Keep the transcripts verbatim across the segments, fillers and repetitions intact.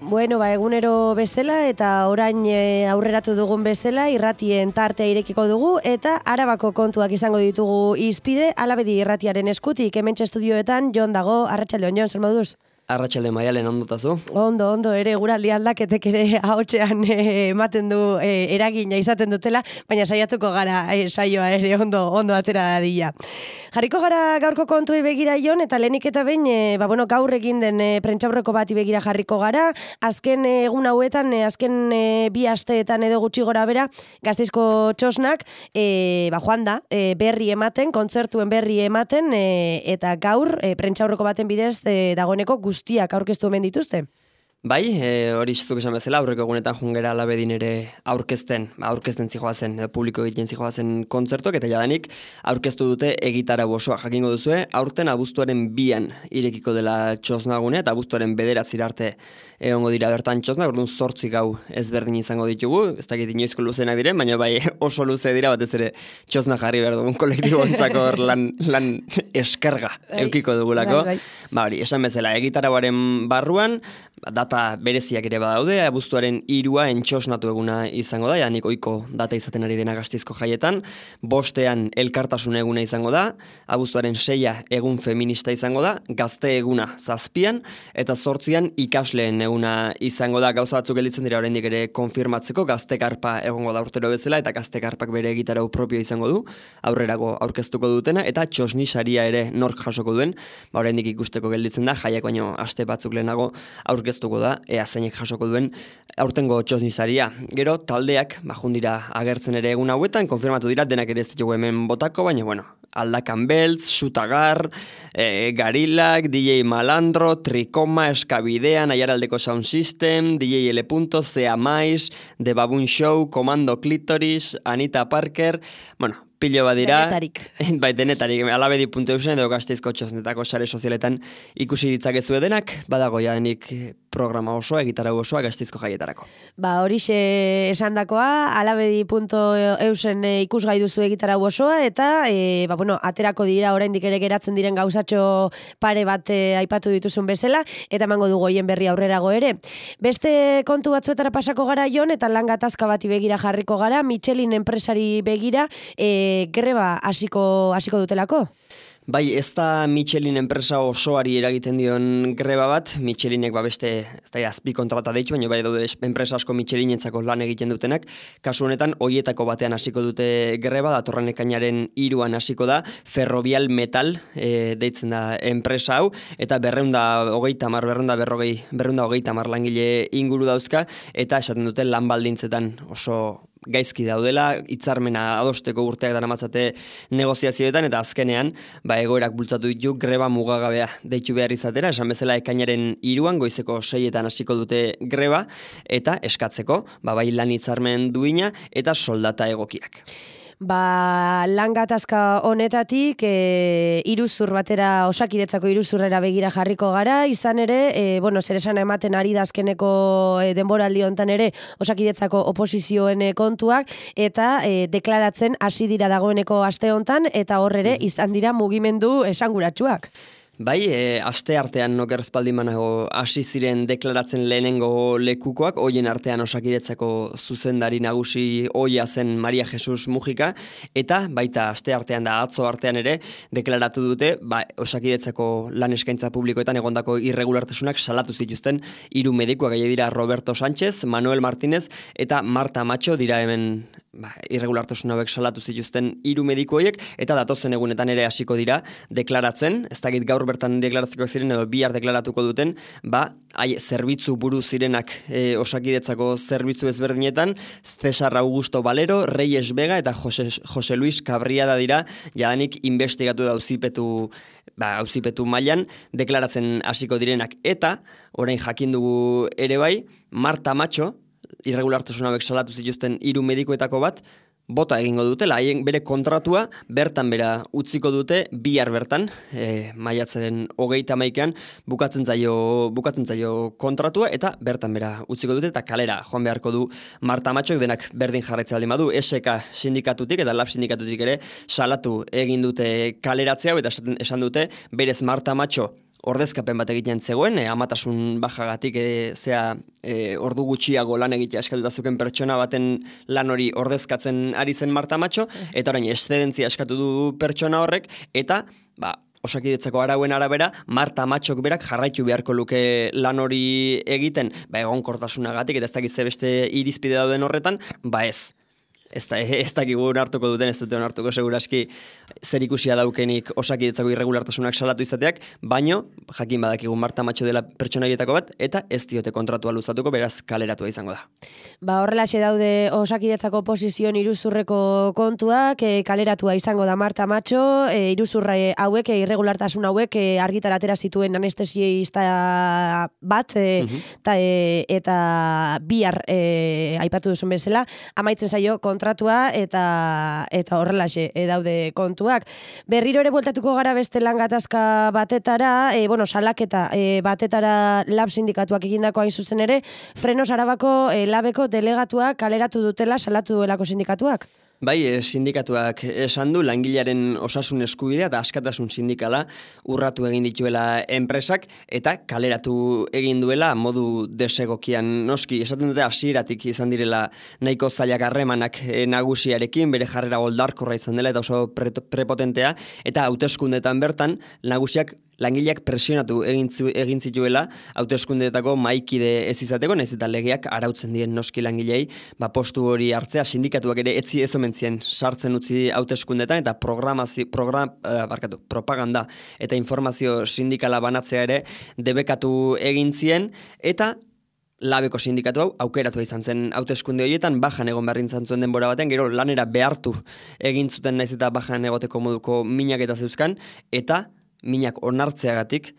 Bueno, ba, egunero bezala eta orain e, aurreratu dugun bezala irratien tartea irekiko dugu eta Arabako kontuak izango ditugu hizpide Alabedi irratiaren eskutik hementxe estudioetan Jon dago. Arratsaldeon Jon, zer moduz? Arratsalde Maialen, ondotazu? Ondo, ondo, ere guraldi aldaketek ere ahotsean e, ematen du e, eragina izaten dutela, baina saiatuko gara e, saioa ere ondo ondo atera dadila. Jarriko gara gaurko kontuei begira Jon, eta lehenik eta behin, e, ba, bueno, gaur egin den e, prentsaurreko bati begira jarriko gara, azken e, egun hauetan, e, azken e, bi asteetan edo gutxi gora bera, Gasteizko txosnak, e, ba, joan da, e, berri ematen, kontzertuen berri ematen, e, eta gaur, e, prentsaurreko baten bidez, e, dagoeneko guztiak aurkeztu hemen dituzte. Bai, e, hori zuk esan bezala, aurreko egunetan jungera Alabedin ere aurkezten, aurkezten zijoazen, e, publiko egiten zijoazen kontzertuak, eta jadanik aurkeztu dute egitarau osoa. Jakingo duzue, aurten abuztuaren bian irekiko dela txosnagune, eta abuztuaren bederatzira arte egongo dira bertan txosnak, orduan zortzi gau ezberdin izango ditugu, ez dakit inoizko luzenak diren, baina bai oso luze dira, batez ere txosna jarri behar dugun kolektibo ontzako lan, lan eskarga eukiko dugulako. Bai, bai. Ba hori, esan bezala, egitarauaren barruan, data bereziak ere badaude, abuztuaren hirua entxosnatu eguna izango da, janik oiko data izaten ari dena Gasteizko jaietan, bostean elkartasun eguna izango da, abuztuaren seia egun feminista izango da, gazte eguna zazpian, eta zortzian ikasleen eguna izango da, gauza batzuk gelditzen dira oraindik ere konfirmatzeko, gaztekarpa egongo da urtero bezala, eta gaztekarpak bere egitarau propio izango du, aurrerago aurkeztuko dutena, eta txosni saria ere nork jasoko duen, ba oraindik ikusteko gelditzen da, jaiak baino aste batzuk lehenago aurkeztuko da, ea zeinek jasoko duen aurtengo txosnizaria. Gero, taldeak, bajundira agertzen ere egun hauetan, konfirmatu dira, denak ere ez ditugu hemen botako, baina, bueno, Aldakan Beltz, Xutagar, e, Garilak, D J Malandro, Trikoma, Eskabidean, Aiaraldeko Sound System, D J L. Zea Mais, The Baboon Show, Komando Clitoris, Anita Parker, bueno, pilo bat dira. Denetarik. Bai, denetarik. Alabedi puntu eusen edo Gasteizko txosnetako sare sozialetan ikusi ditzakezue denak, badago jadenik programa osoa, egitarau osoa Gasteizko jaietarako. Ba, horixe esandakoa, alabedi puntu eusen ikusgai duzu egitarau osoa, eta, e, ba, bueno, aterako dira oraindik ere geratzen diren gauzatxo pare bat e, aipatu dituzun bezala, eta emango dugu hoien berri aurrerago ere. Beste kontu batzuetara pasako gara Jon, eta lan gatazka bati begira jarriko gara, Michelin enpresari begira, e, greba hasiko hasiko dutelako? Bai, ez da Michelin enpresa osoari eragiten dion greba bat, Michelinek ba beste, ez da azpi kontrata deitu, baina bai daude enpresa asko Michelinentzako lan egiten dutenak, kasu honetan hoietako batean hasiko dute greba, datorren ekainaren hiruan hasiko da, Ferrovial Metal e, deitzen da enpresa hau, eta berreunda hogeita hamar, berreunda berrogei, berreunda hogeita hamar langile inguru dauzka, eta esaten dute lan baldintzetan oso gaizki daudela, hitzarmena adosteko urteak daramatzate negoziazioetan, eta azkenean, ba, egoerak bultzatu ditu greba mugagabea deitu behar izatera, esan bezala ekainaren hiruan goizeko seietan hasiko dute greba, eta eskatzeko, ba, bai lan hitzarmen duina, eta soldata egokiak. Ba, lan gatazka honetatik e, iruzur batera, Osakidetzako iruzurrera begira jarriko gara, izan ere, e, bueno, zer esan ematen ari da azkeneko e, denboraldi hontan ere Osakidetzako oposizioen e, kontuak, eta e, deklaratzen hasi dira dagoeneko aste hontan, eta hor ere izan dira mugimendu esanguratsuak. Bai, e, aste artean noker espaldimanago hasi ziren deklaratzen lehenengo lekukoak, hoien artean Osakidetzako zuzendari nagusi ohia zen Maria Jesus Mujika, eta baita aste artean da atzo artean ere deklaratu dute, ba, Osakidetzako lan eskaintza publikoetan egondako irregulartasunak salatu zituzten hiru medikuak, gai dira Roberto Sánchez, Manuel Martínez eta Marta Macho dira hemen ba, irregulartasun hauek salatu zituzten hiru mediku horiek, eta datozen egunetan ere hasiko dira deklaratzen, ez dakit gaur bertan deklaratzeko ziren edo bihar deklaratuko duten, ba, hai, zerbitzu buru zirenak e, Osakidetzako zerbitzu ezberdinetan, Cesar Augusto Valero, Reyes Vega eta Jose, Jose Luis Cabriada dira, jadanik investigatu da auzipetu ba, auzipetu mailan deklaratzen hasiko direnak, eta orain jakin dugu ere bai, Marta Macho, irregulartasun hauek salatu zituzten hiru medikuetako bat, bota egingo dutela, haien bere kontratua bertan bera utziko dute bihar bertan, e, maiatzaren hogeita hamaikaan bukatzen zaio, bukatzen zaio kontratua, eta bertan bera utziko dute, eta kalera joan beharko du Marta Matxok, denak berdin jarraitzea baldin badu, S K sindikatutik eta Lab sindikatutik ere salatu egin dute kaleratzea, eta esan dute berez Marta Matxo ordezkapen bat egiten zegoen, e, amatasun bajagatik, e, zea e, ordu gutxiago lan egitea eskatuta zuken pertsona baten lan hori ordezkatzen ari zen Marta Macho, eta orain eszedentzia eskatu du pertsona horrek, eta ba, Osakidetzako arauen arabera, Marta Matxok berak jarraitu beharko luke lan hori egiten, ba, egonkortasunagatik, eta ez dakiz beste irizpide dauden horretan, ba ez. Ez da, ez dakigu hartuko duten, ez duten hartuko seguraski zer ikusia daukenik Osakidetzako irregulartasunak salatu izateak, baino jakin badakigu Marta Matxo dela pertsonaietako bat, eta ez diote kontratua luzatuko, beraz kaleratua izango da. Ba, horrelaxe daude Osakidetzako posizion iruzurreko kontuak, e, kaleratua izango da Marta Matxo, e, iruzurra hauek, e, irregulartasun hauek e, argitara atera zituen anestesiista bat, e, uh-huh. ta, e, eta bihar e, aipatu duzun bezala, amaitzen zaio kontratua eta eta horrelaxe e, daude kontuak. Berriro ere bueltatuko gara beste lan gatazka batetara, e, bueno, salaketa e, batetara lab sindikatuak egindako hain zuzen ere, Frenos Arabako e, labeko delegatuak kaleratu dutela salatu duelako sindikatuak. Bai, sindikatuak esan du langilearen osasun eskubidea eta askatasun sindikala urratu egin dituela enpresak eta kaleratu egin duela modu desegokian. Noski, esaten dute hasieratik izan direla nahiko zailak harremanak nagusiarekin, bere jarrera goldarkorra izan dela eta oso pre prepotentea, eta hauteskundetan bertan nagusiak langileak presionatu egin, egin zituela hauteskundeetako mahaikide ez izateko, nahiz eta legeak arautzen dien noski langilei, ba postu hori hartzea, sindikatuak ere etzi ez omen zien sartzen utzi hauteskundeetan eta programazio, program, uh, barkatu, propaganda eta informazio sindikala banatzea ere debekatu egin zien, eta labeko sindikatu hau aukeratu izan zen hauteskunde horietan, bajan egon beharrin zantzuen denbora baten, gero lanera behartu egin zuten naiz eta bajan egoteko moduko minak eta zeuzkan, eta minak onartzeagatik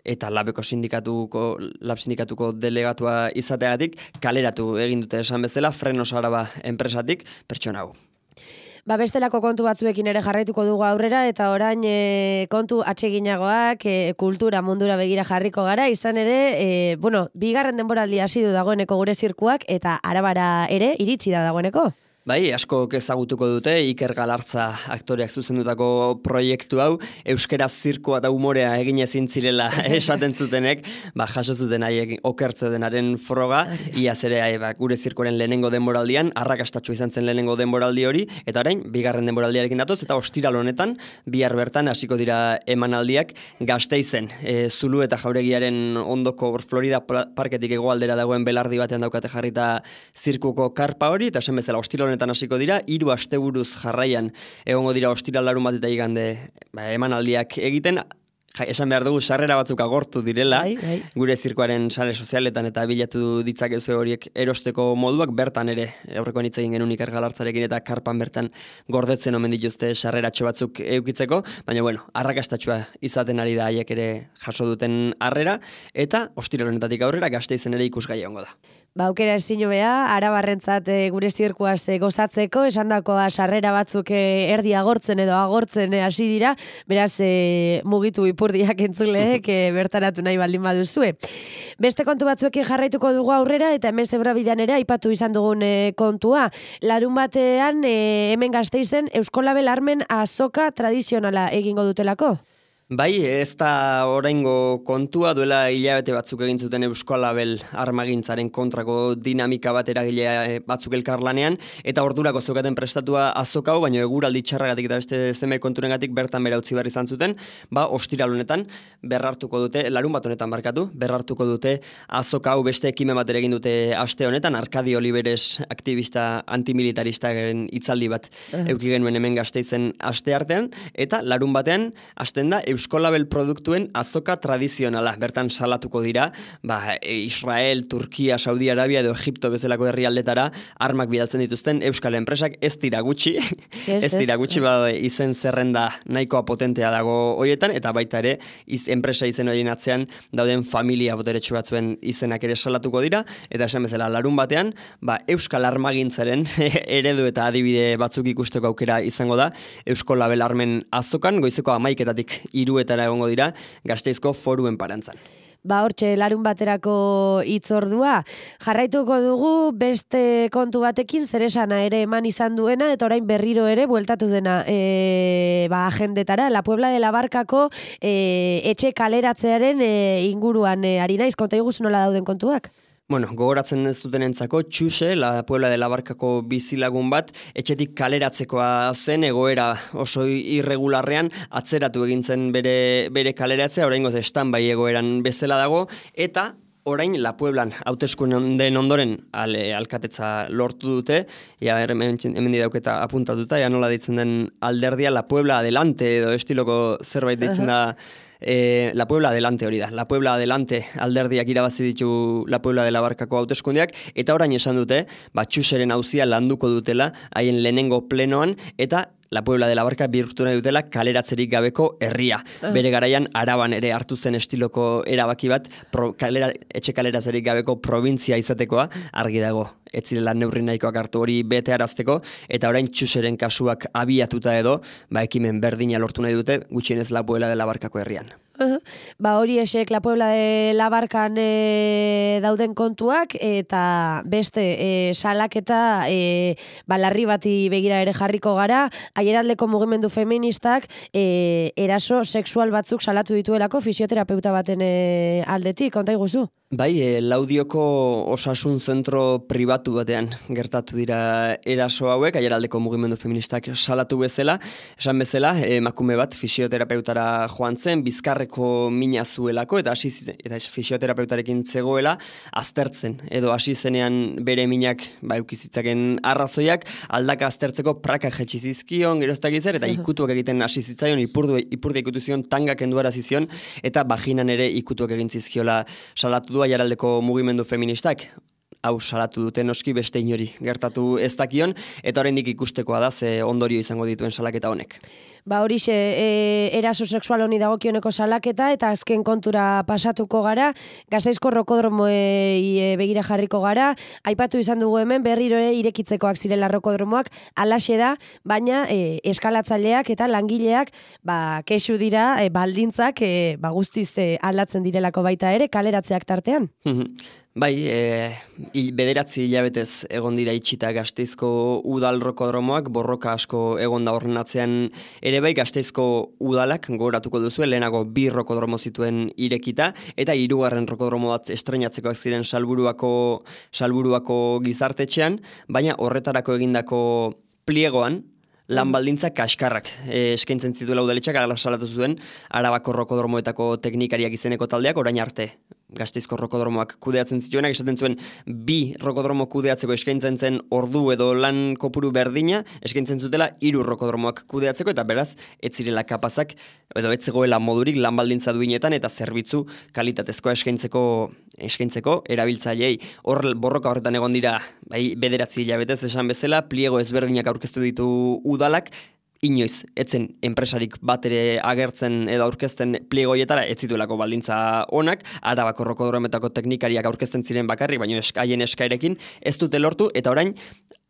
eta labeko sindikatuko, lab sindikatuko delegatua izateagatik kaleratu egin dute esan bezala Frenos Araba enpresatik pertsona hau. Ba, bestelako kontu batzuekin ere jarraituko dugu aurrera, eta orain e, kontu atseginagoak, e, kultura mundura begira jarriko gara, izan ere, e, bueno, bigarren denboraldi hasi du dagoeneko gure zirkuak, eta Arabara ere iritsi da dagoeneko. Bai, asko ezagutuko dute, Iker Galartza aktoreak zuzendutako proiektu hau, euskaraz zirkoa eta umorea egin ezin zirela esaten zutenek, ba, jaso zuten haiek okertze denaren froga, iaz ere ba, gure zirkoaren lehenengo denboraldian, arrakastatxo izan zen lehenengo denboraldi hori, eta orain, bigarren denboraldiarekin datoz, eta ostiral honetan, bihar bertan hasiko dira emanaldiak Gasteizen. E, Zulu eta Jauregiaren ondoko Florida parketik hegoaldera dagoen belardi batean daukate jarrita zirkuko karpa hori, eta esan bezala ostiral honetan hasiko dira, hiru asteburuz jarraian egongo dira ostiral larun bat eta igande ba, emanaldiak egiten. Ja, esan behar dugu, sarrera batzuk agortu direla, bai, bai. Gure zirkoaren sare sozialetan eta bilatu ditzakezu horiek erosteko moduak, bertan ere, aurrekoan hitz egin genuen Iker Galartzarekin eta karpan bertan gordetzen omen dituzte sarreratxo batzuk eukitzeko, baina bueno, arrakastatxoa izaten ari da haiek ere jaso duten harrera, eta ostiral honetatik aurrera Gasteizen ere ikusgai egongo da. Ba, aukera ezin hobea, arabarrentzat e, gure zirkuaz e, gozatzeko, esandakoa sarrera batzuk e, erdi agortzen edo agortzen e, hasi dira, beraz e, mugitu ipurdiak entzuleek e, bertaratu nahi baldin baduzue. Beste kontu batzuekin jarraituko dugu aurrera, eta hemen Zebrabidean ere aipatu izan dugun e, kontua. Larun batean e, hemen Gasteizen Euskolabel armen azoka tradizionala egingo dutelako. Bai, ez da oraingo kontua, duela hilabete batzuk egin zuten Euskolabel armagintzaren kontrako dinamika bat eragile batzuk elkarlanean, eta ordurako zeukaten prestatua azokau, baina eguraldi txarragatik eta beste zeme konturengatik bertan bera utzi behar izan zuten, ba, ostiral honetan berrartuko dute, larun bat honetan markatu, berrartuko dute azokau beste ekimen bat egin dute aste honetan, Arkadi Oliveres aktivista antimilitaristaren hitzaldi bat uh-huh. euki genuen hemen Gasteizen aste artean, eta larun batean hasten da Euskolabel produktuen azoka tradizionala. Bertan salatuko dira, ba, Israel, Turkia, Saudi Arabia edo Egipto bezalako herrialdetara armak bidaltzen dituzten euskal enpresak ez dira gutxi. Yes, ez dira gutxi, ba, izen zerrenda nahikoa potentea dago hoietan, eta baita ere, iz, enpresa izen horien atzean dauden familia boteretsu batzuen izenak ere salatuko dira, eta esan bezala larun batean, ba, euskal armagintzaren eredu eta adibide batzuk ikusteko aukera izango da, Euskolabel armen azokan, goizeko hamaiketatik hiruetara egongo dira Gasteizko Foruen parantzan. Ba hortxe larun baterako hitzordua. Jarraituko dugu beste kontu batekin zer esana ere eman izan duena eta orain berriro ere bueltatu dena e, ba, agendetara. La Puebla de la Barkako e, etxe kaleratzearen e, inguruan e, ari naiz, konta iguzu nola dauden kontuak? Bueno, gogoratzen ez dutenentzako, Txuse, La Puebla de la Barkako bizilagun bat, etxetik kaleratzekoa zen egoera oso irregularrean, atzeratu egintzen bere, bere kaleratzea, oraingoz stand-by egoeran bezala dago, eta orain La Pueblan hauteskunde ondoren ale, alkatetza lortu dute, ja hemen, hemen dauketa apuntatuta, ja nola ditzen den alderdia, La Puebla adelante edo estiloko zerbait ditzen da, Eh, La Puebla adelante hori da. La Puebla adelante alderdiak irabazi ditu La Puebla de la Barkako hauteskundeak eta orain esan dute, ba Txuseren auzia landuko dutela haien lehenengo plenoan eta La Puebla de la Barka bihurtu nahi dutela kaleratzerik gabeko herria. Uh. Bere garaian Araban ere hartu zen estiloko erabaki bat pro, kalera, etxe kaleratzerik gabeko provintzia izatekoa argi dago. Ez zirela neurri nahikoak hartu hori bete arazteko eta orain Txuseren kasuak abiatuta edo, ba ekimen berdina lortu nahi dute gutxienez La Puebla de la Barkako herrian. Uh-huh. Ba hori esek La Puebla de la Barkan e, dauden kontuak eta beste e, salaketa e, balarri bati begira ere jarriko gara, aieraldeko mugimendu feministak e, eraso sexual batzuk salatu dituelako fisioterapeuta baten e, aldetik, konta iguzu? Bai, e, Laudioko osasun zentro pribatu batean gertatu dira eraso hauek, aieraldeko mugimendu feministak salatu bezala, esan bezala, emakume bat fisioterapeutara joan zen, bizkarreko mina zuelako, eta hasi eta fisioterapeutarekin zegoela, aztertzen, edo hasi zenean bere minak ba, eukizitzaken arrazoiak, aldaka aztertzeko praka jetxi zizkion, geroztak izer, eta ikutuak egiten hasi zitzaion, ipurdu, ipurdu ikutu zion, tangak enduara zizion, eta bajinan ere ikutuak egin zizkiola salatu du aieraldeko mugimendu feministak. Hau salatu dute noski beste inori gertatu ez dakion, eta oraindik ikustekoa da ze ondorio izango dituen salaketa honek. Ba horixe, e, eraso sexual honi dagokioneko salaketa eta azken kontura pasatuko gara, Gasteizko rokodromoei e, begira jarriko gara, aipatu izan dugu hemen berriro ere irekitzekoak zirela rokodromoak, alaxe da, baina e, eskalatzaileak eta langileak ba, kexu dira e, baldintzak e, ba, guztiz e, aldatzen direlako baita ere, kaleratzeak tartean. Bai, e, il, bederatzi hilabetez egon dira itxita Gasteizko udal rokodromoak, borroka asko egon da horren atzean ere bai Gasteizko udalak gogoratuko duzu, lehenago bi rokodromo zituen irekita, eta hirugarren rokodromo bat estrenatzekoak ziren Salburuako, Salburuako gizartetxean, baina horretarako egindako pliegoan, lan baldintza kaskarrak e, eskaintzen zituela udaletxak, ala salatu zuen Arabako rokodromoetako teknikariak izeneko taldeak orain arte Gasteizko rokodromoak kudeatzen zituenak, esaten zuen bi rokodromo kudeatzeko eskaintzen zen ordu edo lan kopuru berdina, eskaintzen zutela hiru rokodromoak kudeatzeko, eta beraz, ez zirela kapazak, edo ez zegoela modurik lan baldintza duinetan, eta zerbitzu kalitatezkoa eskaintzeko, eskaintzeko erabiltzaileei. Hor borroka horretan egon dira, bai, bederatzi hilabetez esan bezala, pliego ezberdinak aurkeztu ditu udalak, inoiz, etzen enpresarik bat ere agertzen edo aurkezten pliegoietara ez zituelako baldintza onak, Arabako rokodrometako teknikariak aurkezten ziren bakarrik, baina eskaien eskaerekin ez dute lortu, eta orain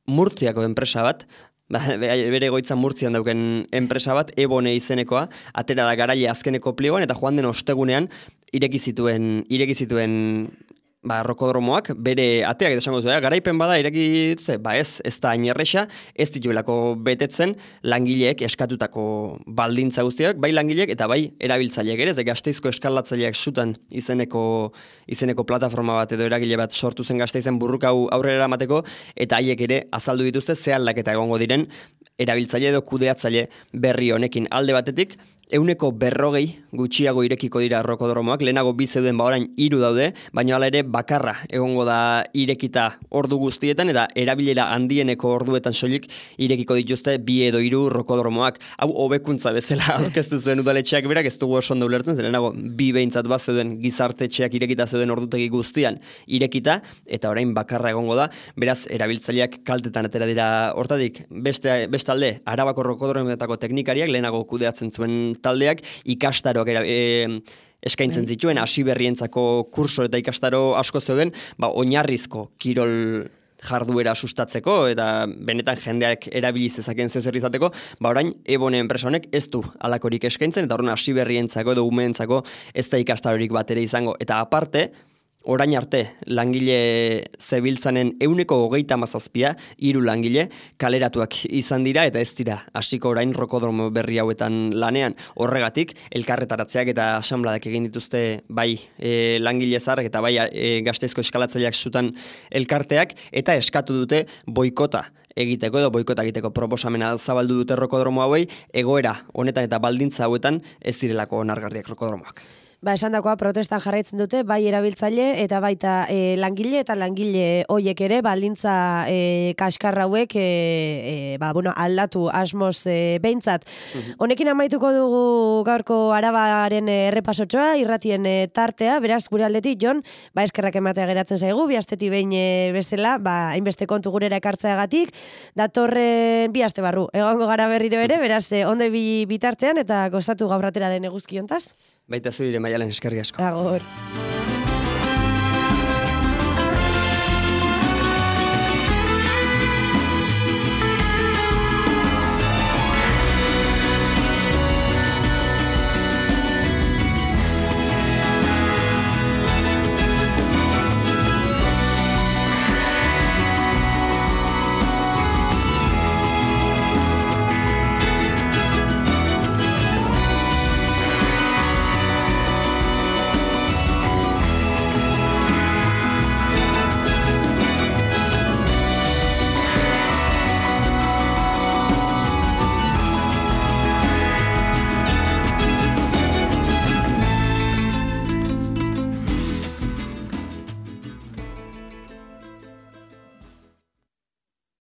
Murtziako enpresa bat, bere egoitza Murtzian dauken enpresa bat, Ebone izenekoa, atera da garaile azkeneko pliegoan, eta joan den ostegunean ireki zituen, ireki zituen ba, rokodromoak, bere ateak esango zu, garaipen bada ireki dituzte, ba ez, ez da ainerresa, ez dituelako betetzen langileek eskatutako baldintza guztiak, bai langileek eta bai erabiltzaileek ere, ze Gasteizko eskalatzaileak sutan izeneko, izeneko plataforma bat edo eragile bat sortu zen Gasteizen burruka hau aurrera eramateko, eta haiek ere azaldu dituzte ze aldaketa egongo diren erabiltzaile edo kudeatzaile berri honekin alde batetik, euneko berrogei gutxiago irekiko dira rokodromoak, lehenago bi zeuden ba orain hiru daude, baina hala ere bakarra egongo da irekita ordu guztietan, eta erabilera handieneko orduetan soilik irekiko dituzte bi edo hiru rokodromoak. Hau hobekuntza bezala aurkeztu zuen udaletxeak berak, ez dugu oso ondo ulertzen, zen lehenago bi behintzat bat zeuden gizartetxeak irekita zeuden ordutegi guztian irekita, eta orain bakarra egongo da, beraz erabiltzaileak kaltetan atera dira hortatik. Beste, bestalde, Arabako rokodrometako teknikariak lehenago kudeatzen zuen taldeak ikastaroak era, e, eskaintzen zituen, hasi berrientzako kurso eta ikastaro asko zeuden, ba, oinarrizko kirol jarduera sustatzeko eta benetan jendeak erabiliz ezaken zeo zer izateko, ba orain Ebone enpresa honek ez du alakorik eskaintzen eta horren hasi berrientzako edo umeentzako ez da ikastarorik bat ere izango. Eta aparte, orain arte langile zebiltzanen euneko hogeita mazazpia, hiru langile kaleratuak izan dira eta ez dira hasiko orain rokodromo berri hauetan lanean. Horregatik, elkarretaratzeak eta asanbladak egin dituzte bai e, langile zaharrak eta bai e, Gasteizko eskalatzaileak zutan elkarteak eta eskatu dute boikota egiteko edo boikota egiteko proposamena zabaldu dute rokodromo hauei, egoera honetan eta baldintza hauetan ez direlako onargarriak rokodromoak. Ba, esan dakoa protestan jarraitzen dute, bai erabiltzaile eta baita e, langile eta langile hoiek ere, baldintza e, kaskarra hauek e, e, ba, bueno, aldatu asmoz e, behintzat. Mhm. Honekin amaituko dugu gaurko Arabaren errepasotxoa, irratien e, tartea, beraz gure aldetik, Jon, ba, eskerrak ematea geratzen zaigu, bi astetik behin e, bezala, ba, hainbeste kontu gurera ekartzeagatik, datorren bi aste barru, egongo gara berriro ere, beraz, e, ondo bi bitartean eta gozatu gaur atera den eguzki hontaz. Baita zu dire Maialen eskerrik asko. Agor.